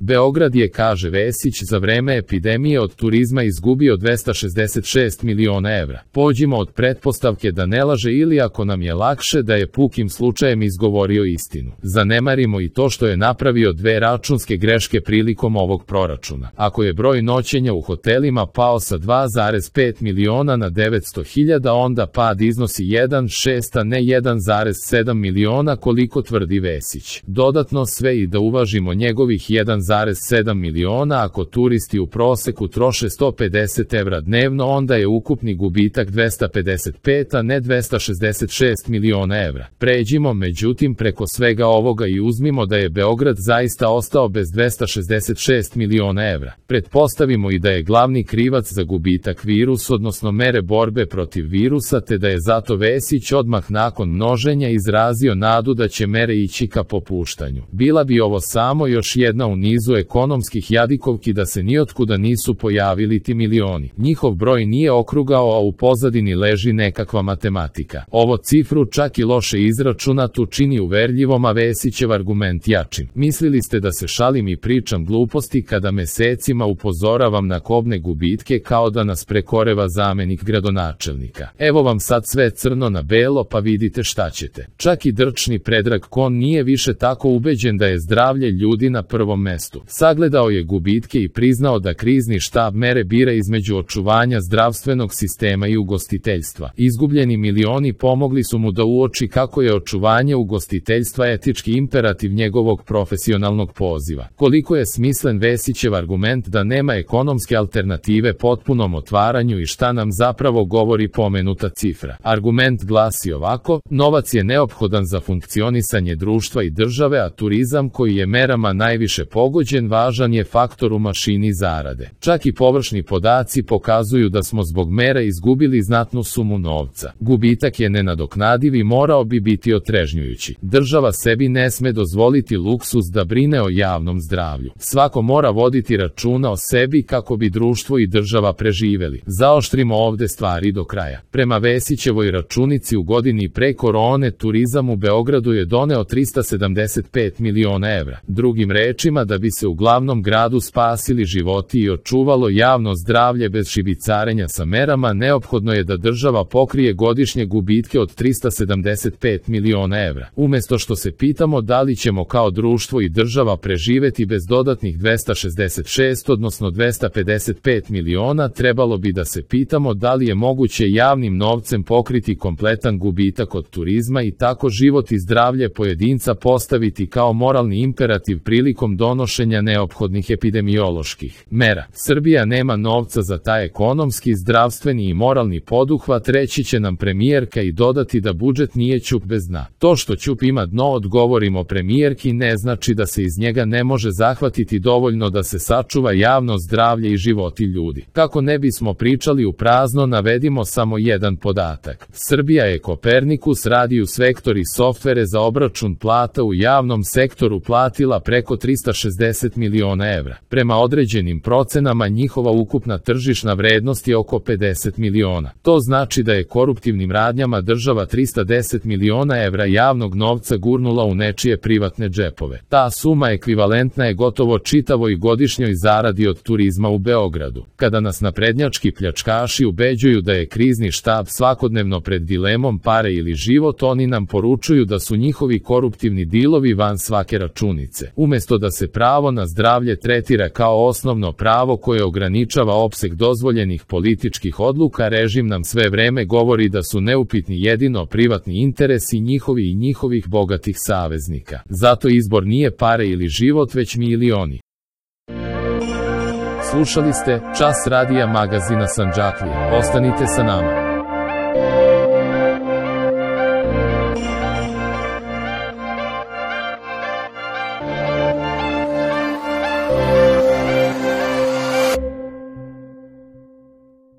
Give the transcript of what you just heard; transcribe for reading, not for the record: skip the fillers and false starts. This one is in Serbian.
Beograd je, kaže Vesić, za vreme epidemije od turizma izgubio 266 miliona evra. Pođimo od pretpostavke da ne laže ili, ako nam je lakše, da je pukim slučajem izgovorio istinu. Zanemarimo i to što je napravio 2 računske greške prilikom ovog proračuna. Ako je broj noćenja u hotelima pao sa 2,5 miliona na 900.000, onda pad iznosi 1,6 a ne 1,7 miliona koliko tvrdi Vesić. Dodatno sve i da uvažimo njegovih 1,7 miliona, ako turisti u proseku troše 150 evra dnevno, onda je ukupni gubitak 255 a ne 266 miliona evra. Pređimo međutim preko svega ovoga i uzmimo da je Beograd zaista ostao bez 266 miliona evra. Pretpostavimo i da je glavni krivac za gubitak virus, odnosno mere borbe protiv virusa, te da je zato Vesić odmah nakon množenja izrazio nadu da će mere ići ka popuštanju. Bila bi ovo samo još jedna u nizu ekonomskih jadikovki da se nijotkuda nisu pojavili ti milioni. Njihov broj nije okrugao, a u pozadini leži nekakva matematika. Ovo cifru čak i loše izračunatu čini uverljivom, a Vesićev argument jačim. Mislili ste da se šalim i pričam gluposti kada mesecima upozoravam na kobne gubitke kao da nas prekoreva zamenik gradonačelnika. Evo vam sad sve crno na belo, pa vidite šta ćete. Čak i drčni Predrag Kon nije više tako ubeđen da je zdravlje ljudi na prvom mestu. Sagledao je gubitke i priznao da krizni štab mere bira između očuvanja zdravstvenog sistema i ugostiteljstva. Izgubljeni milioni pomogli su mu da uoči kako je očuvanje ugostiteljstva etički imperativ njegovog profesionalnog poziva. Koliko je smislen Vesićev argument da nema ekonomske alternative potpunom otvaranju i šta nam zapravo govori pomenuta cifra. Argument glasi ovako: novac je neophodan za funkcionisanje društva i države, a turizam, koji je merama najviše pogođen, važan je faktor u mašini zarade. Čak i površni podaci pokazuju da smo zbog mera izgubili znatnu sumu novca. Gubitak je nenadoknadiv i morao bi biti otrežnjujući. Država sebi ne sme dozvoliti luksuz da brine o javnom zdravlju. Svako mora voditi računa o sebi kako bi društvo i država preživeli. Zaoštrimo ovde stvari do kraja. Prema Vesićevoj računici, u godini pre korone turizam u Beogradu je doneo 375 miliona evra. Drugim rečima, da bi se u glavnom gradu spasili životi i očuvalo javno zdravlje bez šibicarenja sa merama, neophodno je da država pokrije godišnje gubitke od 375 miliona evra. Umesto što se pitamo da li ćemo kao društvo i država preživeti bez dodatnih 266, odnosno 255 miliona, trebalo bi da se pitamo da li je moguće javnim novcem pokriti kompletan gubitak od turizma i tako život i zdravlje pojedinca postaviti kao moralni imperativ prilikom donošenja neophodnih epidemioloških mera. Srbija nema novca za taj ekonomski, zdravstveni i moralni poduhvat, reći će nam premijerka i dodati da budžet nije ćup bez dna. To što ćup ima dno, odgovorimo premijerki, ne znači da se iz njega ne može zahvatiti dovoljno da se sačuva javno zdravlje i životi ljudi. Kako ne bismo pričali u prazno, navedimo samo jedan podatak. Srbija je Kopernikus Radius Vektor i softvere za obračun plata u javnom sektoru platila preko 360 miliona evra. Prema određenim procenama njihova ukupna tržišna vrednost je oko 50 miliona. To znači da je koruptivnim radnjama država 310 miliona evra javnog novca gurnula u nečije privatne džepove. Ta suma ekvivalentna je gotovo čitavoj godišnjoj zaradi od turizma u Beogradu. Kada nas naprednjački pljačkaši ubeđuju da je krizni štab svakodnevno pred dilemom pare ili život, oni nam poručuju da su njihovi koruptivni dilovi van svake računice. Umesto da se pravo na zdravlje tretira kao osnovno pravo koje ograničava opseg dozvoljenih političkih odluka, režim nam sve vreme govori da su neupitni jedino privatni interesi njihovi i njihovih bogatih saveznika. Zato izbor nije pare ili život, već milioni. Slušali ste Čas radija magazina Sandžaklija. Ostanite sa nama.